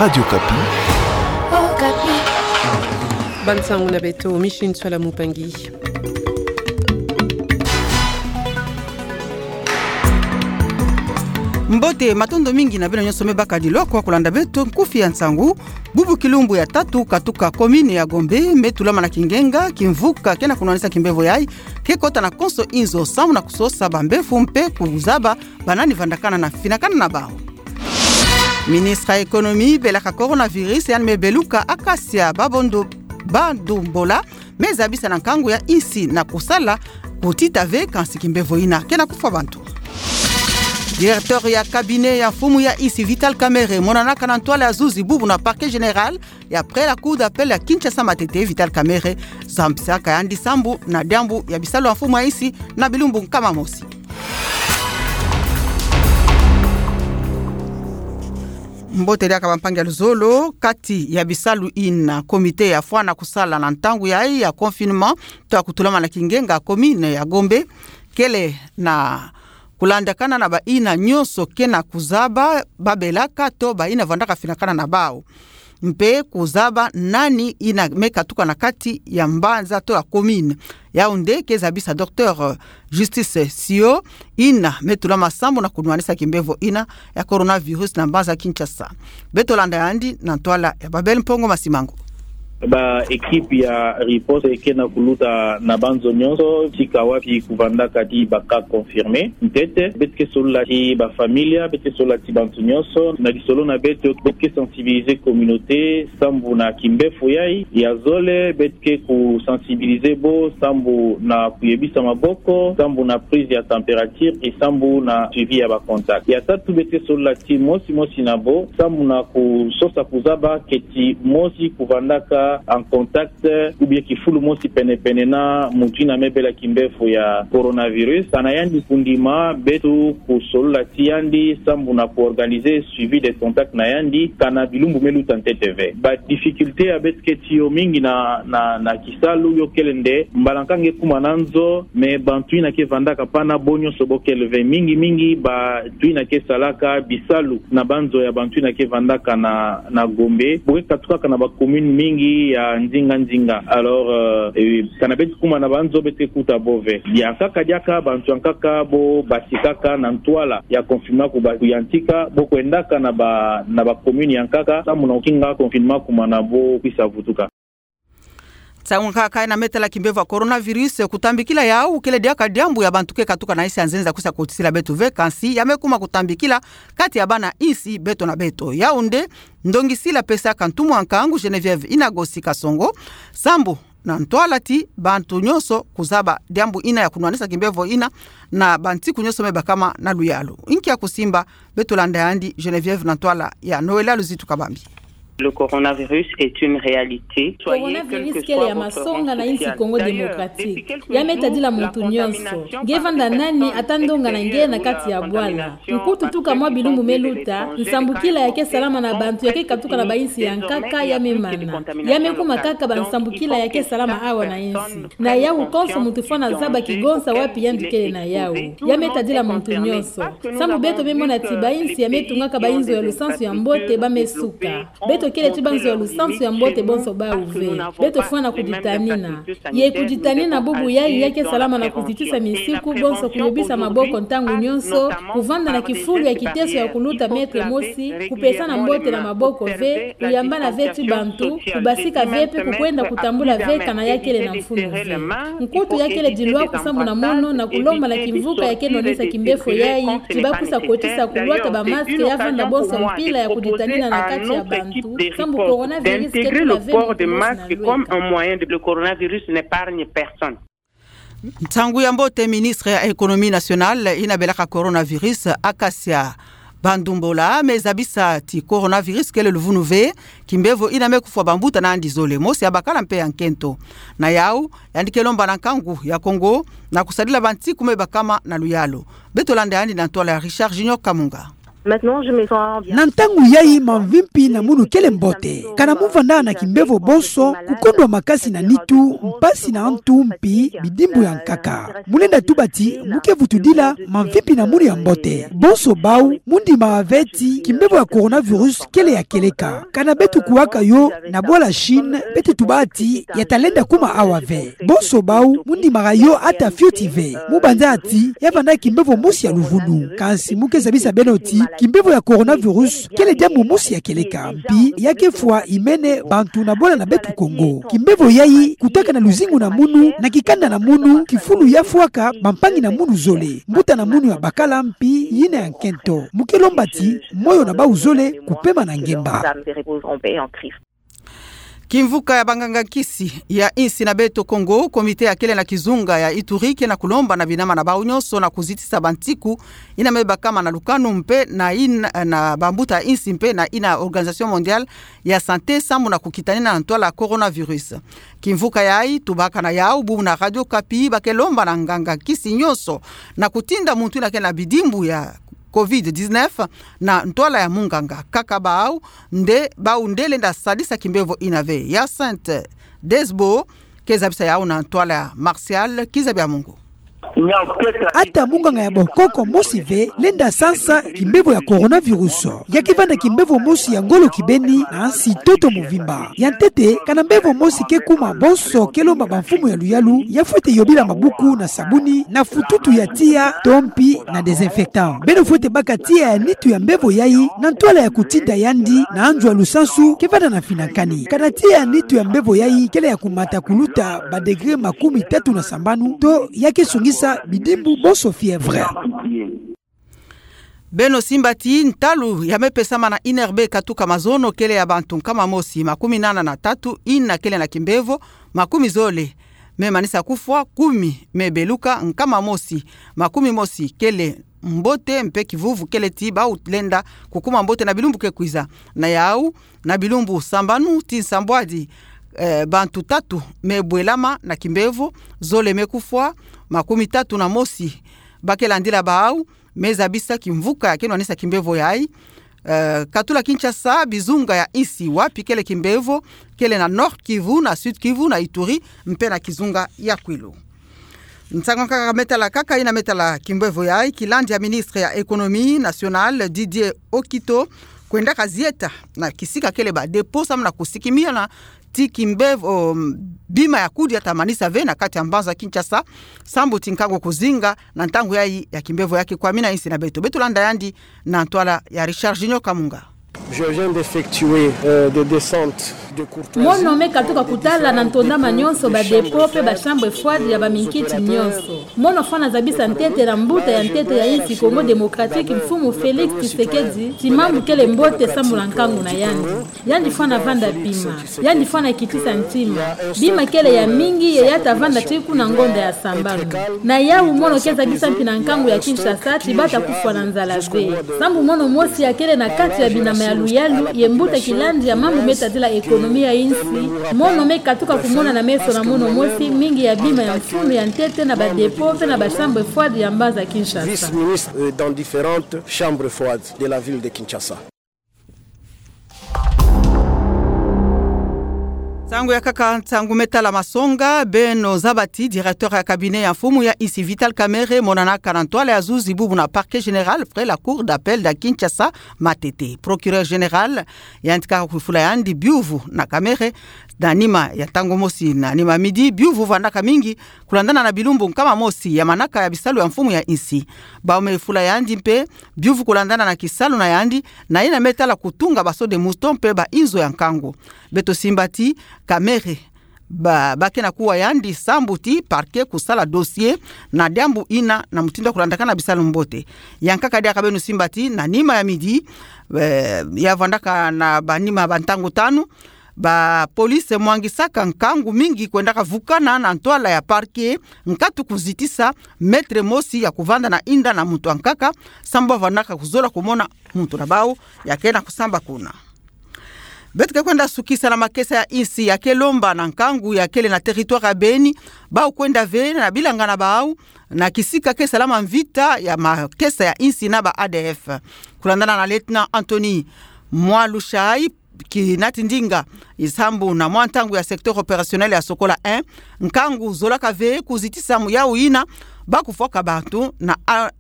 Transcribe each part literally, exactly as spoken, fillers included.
Radio Okapi. Okapi. Bansangu na beto, Micheline Sola Mupangi. Mbote, matondo mingi na beno nyonso me baka diloa kwa kulanda beto nkufi ya nsangu. Bubu kilumbu ya tatu katuka commune ya Gombe me tulama na kingenga, kimvuka ke na kunwanisa kimbevo yayi, ke kota na konso inzo samu na kusosa bambefu mpe kuzaba banani vandakana na finakana na bawu. Ministre ya économie belaka coronavirus, yandi me beluka akasia babondo, bandumbola me zabisa na nkangu ya insi na kusala kutita ve kansi kimbevo ina ke na kufwa bantu. Directeur ya cabinet ya mfumu ya insi Vital Kamerhe monanaka na ntwala ya zuzi bubu na parquet général ya après la cour d'appel ya Kinshasa Matete. Vital Kamerhe zambisaka yandi sambu na diambu ya bisalu ya mfumu ya insi na bilumbu nkama mosi. Mbote diaka bampangi ya luzolo, kati ya bisalu ina comité ya fwana kusala na ntangu yayi ya confinement, to ya kutulama na kingenga, commune ya Gombe kele na kulandakana na baina nyonso ke na kuzaba babelaka to baina vandaka finakana na bawu, mpe kuzaba nani ina me katuka na kati ya mbanza to ya commune. Yawu nde ke zabisa Docteur Justice Sio, ina me tulama sambu na kunwanisa kimbevo ina ya coronavirus na mbanza Kinshasa. Beto landa yandi na ntwala ya Babel Mpongo Masimango. Ba équipe ya riposte ke na kuluta na banzo nyonso tika wapi kuvandaka ti ba cas confirmés ntete. Beto ke solola ti ba família, beto ke solola ti bantu nyonso. Na lisolo na beto, beto ke sensibiliser communauté sambu na kimbevo yayi. Ya zole, beto ke kusensibiliser bo sambu na kuyebisa maboko, sambu na prise ya température, et sambu na suivi ya ba contact. Ya tatu, beto ke solola ti mosi mosi na bo sambu na kusosa kuzaba keti mosi kuvandaka en contact ou bien kifulu mosi penepene na muntu ina me bela kimbevo ya coronavirus. Kana yandi kundima, beto kusolola ti yandi sambu na kuorganiser suivi des contacts na yandi kana bilumbu me luta ntete ve. Ba difficulté ya beto ke ti yo mingi na, na, na kisalu yo kele nde mbala nkaka nge kuma na nzo, mais bantu ina ke vandaka pana bo nyonso bo kele ve. Mingi mingi bantu ina ke salaka bisalu na banzo ya bantu ina ke vandaka na, na Gombe. Bo ke katukaka na ba commune mingi ya nzinga nzinga. Alors, euh, eh, kana beto kuma na banzo beto ke kuta bo ve. Yankaka diaka bantu yankaka bo batikaka na ntwala ya confinement kuba kuyantika, bo kwendaka na ba, na ba commune yankaka sambu na kukinga confinement kuma na bo kwisa vutuka. Nsangu nkaka na me tala kimbevo ya coronavirus, kutambikila yawu kele diaka diambu ya bantu ke katuka na insi ya nzenza kwisa kotisila beto ve, kansi ya me kuma kutambikila kati ya bana insi beto na beto. Yawu nde ndongisila pesaka ntumwa nkangu Geneviève Inagosi Kasongo sambu na ntwala ti bantu nyonso kuzaba diambu ina ya kunwanisa kimbevo ina na bantiku nyonso me bakama na luyalu. Nkia kusimba? Beto landa yandi Geneviève na ntwala ya Noëlla Luzitu Kabambi. Le coronavirus est une réalité. Coronavirus kele ya masonga na insi Congo Démocratique. Ya me tadila muntu nyonso. Nge vanda nani, ata ndonga na nge na kati ya bwala. Nkutu tuka mwa bilumbu me luta, nsambukila ya ke salama na bantu ya ke katuka na ba insi yankaka ya me mana. Ya me kuma kaka ba nsambukila ya ke salama awa na insi. Na yawu konso muntu fwana zaba kigonsa wapi yandi kele na yawu. Ya me tadila muntu nyonso. Sambu beto me mona ti ba insi ya me tungaka ba inzo ya lusansu ya mbote ba me suka. Beto kele ti banzo ya lusansu ya mbote bonso bawu ve. Beto fwana kuditanina. Ye kuditanina bubu yayi ya ke salama na kuzitisa misiku bonso kuyobisa maboko ntangu nyonso, kuvanda na kifulu ya kiteso ya kuluta mètre mosi, kupesana mbote na maboko ve, kuyambana ve ti bantu, kubasika ve mpe kukwenda kutambula ve kana ya kele na mfunu ve. Nkutu ya kele dilwaku sambu na mono na kulomba na kimvuka ya ke nwanisa kimbevo yayi, ti ba kwisa kotisa kulwata ba masque ya vanda bonso mpila ya kuditanina na kati ya bantu, sambu coronavirus ke tula ve muntu mosi na lweka. Le coronavirus n'épargne personne. Nsangu ya mbote, ministre ya Économie nationale ina belaka coronavirus, Acacia Bandumbola, me zabisa ti coronavirus kele luvunu ve, kimbevo ina me kufwa bambuta na yandi zole, mosi ya bakala mpe ya nkento. Na yawu, yandi ke lomba na nkangu ya Congo na kusadila bantiku me bakama na luyalu. Beto landa yandi na ntwala ya Richard Junior Kamunga. Maintenant, je me sens bien. Na ntangu yayi mamvi mpi na munu kele mbote. Kana mu vanda na kimbevo bonso, kukondwa makasi na nitu, mpasi na ntu mpi bidimbu ya nkaka. Mu lenda tuba ti mu ke vutudila mamvi mpi na munu ya mbote. Bonso bau mu ndima ave ti kimbevo ya coronavirus kele ya kieleka. Kana beto kuwaka yo na bwala Chine, beto tuba ti ya ta lenda kuma awa ve. Bonso bau mu ndimaka yo ata fioti ve. Mu banza ti ya vanda kimbevo mosi ya luvunu. Kansi mu ke zabisa beno ti kimbevo ya coronavirus kele diambu mosi ya kieleka. Mpi ya ke fwa imene bantu na bwala na beto Kongo. Kimbevo yayi kutaka na luzingu na munu, na kikanda na munu, kifulu ya fwaka bampangi na munu zole, mbuta na munu ya bakala mpi yina ya nkento. Mu ke lomba ti moyo na bau zole kupema na ngemba. Kimvuka ya banganga nkisi ya insi na beto Kongo, komite ya kele na kizunga ya Ituri, ke na kulomba na binama na bau nyonso na kuzitisa bantiku ina me bakama na lukanu mpe na ina, na bambuta insi mpe na ina Organisation Mondiale ya Santé sambu na kukitanina na ntwala coronavirus. Kimvuka yayi tubaka na yau bubu na Radio Okapi ba ke lomba na nganga nkisi nyonso na kutinda muntu ina ke na bidimbu ya covid dix-neuf na ntwala ya munganga. Kaka bau nde, bau nde lenda sadisa kimbevo ina ve. Hyacinthe Desbo ke zabisa yau na ntwala ya Martial Kizabiamungu. Ata munganga ya bokoko mosi ve lenda sansa kimbevo ya coronavirus. Ya ke vanda kimbevo mosi ya ngolo kibeni na nsi ntoto muvimba. Ya ntete, kana mbevo mosi ke kuma, bonso ke lomba bamfumu ya luyalu ya fwete yobila mabuku na sabuni, na fututu ya tiya to mpi na désinfectant. Beno fwete baka tiya ya nitu ya mbevo yayi na ntwala ya kutinda yandi na nzo ya lusansu ke vanda na mfinankani. Kana tiya ya nitu ya mbevo yayi kele ya kumata kuluta ba degré makumi tatu na sambanu, to ya ke songisa bidimbu bonso fièvre. Beno simba ti ntalu ya me pesama na INRB katuka mazono kele ya bantu nkama mosi makumi nana na tatu ina kele na kimbevo, makumi zole me manisa kufwa, kumi me beluka, nkama mosi makumi mosi kele mbote, mpe kivuvu kele ti bau lenda kukuma mbote na bilumbu ke kwiza. Na yau, na bilumbu sambanu ti nsambwadi, eh, bantu tatu me bwelama na kimbevo, zole me kufwa, makumi tatu na mosi ba ke landila bau me zabisa kimvuka ya ke nwanisa kimbevo yayi. Eh, katula Kinshasa, bizunga ya insi wapi kele kimbevo kele na Nord-Kivu, na Sud-Kivu, na Ituri, mpe na kizunga ya Kwilu. Nsangu nkaka me tala kaka ina me tala kimbevo yayi, kilandi ya ministre ya Économie nationale, Didier Okito, kwendaka zieta na kisika kele ba dépôt samu na kusikimina ti kimbevo, um, bima ya kudia ta manisa ve na kati ya mbanza Kinshasa, sambu ti nkangu kuzinga na ntangu yayi ya kimbevo ya ke kwamina insi na beto. Beto landa yandi na ntwala ya Richard Junior Kamunga. Je viens d'effectuer, euh, des descentes de courtoisie. Mono me katuka kutala na ntondama nyonso ba dépôt mpe ba chambres froides ya baminkiti nyonso. Mono fwana zabisa ntete na mbuta ya ntete ya insi Congo Démocratique, Mfumu Félix Tshisekedi, ti mambu kele mbote sambu na nkangu na yandi. Yandi fwana vanda bima. Yandi fwana kitisa ntima. Bima kele ya mingi ye ya ta vanda ti kuna ngonda ya sambanu. Na yau mono ke zabisa mpi na nkangu ya Kinshasa ti ba ta kufwa na nzala ve. Sambu mono mosi ya kele na kati ya binama ya luyalu ye mbuta kilandi ya mambu me tadila économie ya insi, mono me katuka kumona na meso na mono mosi mingi ya bima ya mfunu ya ntete na ba dépôt mpe na ba chambres froides ya mbanza Kinshasa. Vice-ministre, euh, dans différentes chambres froides de la ville de Kinshasa. Nsangu ya kaka, nsangu me tala masonga. Beno zaba ti directeur ya cabinet ya mfumu ya insi Vital Kamerhe monanaka na ntwala ya zuzi bubu na parquet général près la cour d'appel da Kinshasa, Matete. Procureur général yantika kufula yandi biuvu na Kamerhe na nima ya ntangu mosi na nima midi. Biuvu vandaka mingi kulandana na bilumbu nkama mosi ya manaka ya bisalu ya mfumu ya insi. Bau me fula yandi mpe biuvu kulandana na kisalu na yandi, na yina me tala kutunga ba sauts de mouton mpe ba inzo ya nkangu. Beto simba ti Kamerhe ba, ba ke na kuwa yandi sambu ti parquet kusala dossier na diambu yina na mutindu ya kulandakana bisalu mbote. Ya nkaka diaka beno simba ti na nima ya midi, eh, ya vandaka na ba nima ba ntangu tanu, ba police mwangisaka nkangu mingi kwendaka vukana na ntwala ya parquet, nkatu kuzitisa mètre mosi ya kuvanda na inda na muntu ankaka, sambu ba vandaka kuzola kumona muntu na bau ya ke na kusamba kuna. Beto ke kwenda sukisa na makesa ya insi ya ke lomba na nkangu ya kele na territoire ya Beni, bau kwenda ve na bilanga na bau, na kisika ke salama mvita ya makesa ya insi na ba A D F. Kulandana na Lieutenant Anthony Mwalushai, kinati ndinga isambu na mwa ntangu ya secteur opérationnel ya Sokola un, nkangu zolaka ve kuzitisa mu yau yina, bau kufwaka bantu na a-,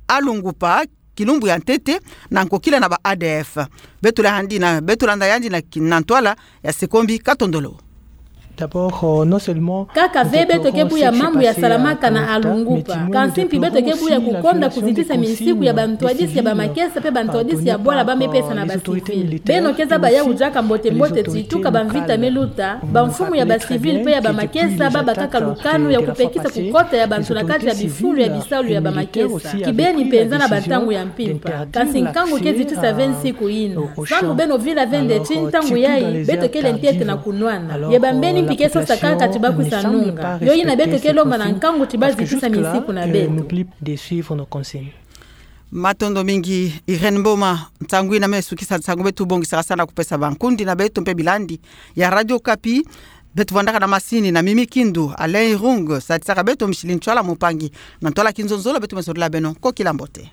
Alungupa, kilumbu ya ntete, na nkokila na ba A D F. Beto landa yandi na, beto landa yandi na ki-, na ntwala ya Sekombi Katondolo. D'abord, euh, non seulement kaka ve beto ke buya mambu ya salamaka na Alungupa, kansi mpi beto ke buya kukonda kuzitisa misiku ya bantwadisi ya bamakesa pe bantwadisi ya bwala ba mepesa na bacivil. Beno ke zaba yau diaka mbote mbote ti tuka bamvita me luta, bamfumu ya bacivil pe ya bamakesa ba bakaka lukanu ya kupekisa kukota ya bantu na kati ya bifulu ya bisalu ya bamakesa. Kibeni mpenza na bantangu ya mpimpa. Kansi nkangu ke zitisa ve nsiku yina. Sambu beno vila ve ndeti ntangu yayi, beto kele ntete na kunwana. Ye bambeni mpi ke sosa kaka ti bakwisa nunga. Yo yina beto ke lomba na nkangu ti bazitisa misiku na beto. Matondo mingi, Irène Mboma. Nsangu yina me sukisa nsangu beto bongisaka sana kupesa bankundi na beto mpe bilandi ya Radio Okapi. Beto vandaka na masini na Mimi Kindu, Alain Irung satisaka beto, Micheline Tshoala mpangi na ntwala kinzonzolo, beto me solila beno nkokila mbote.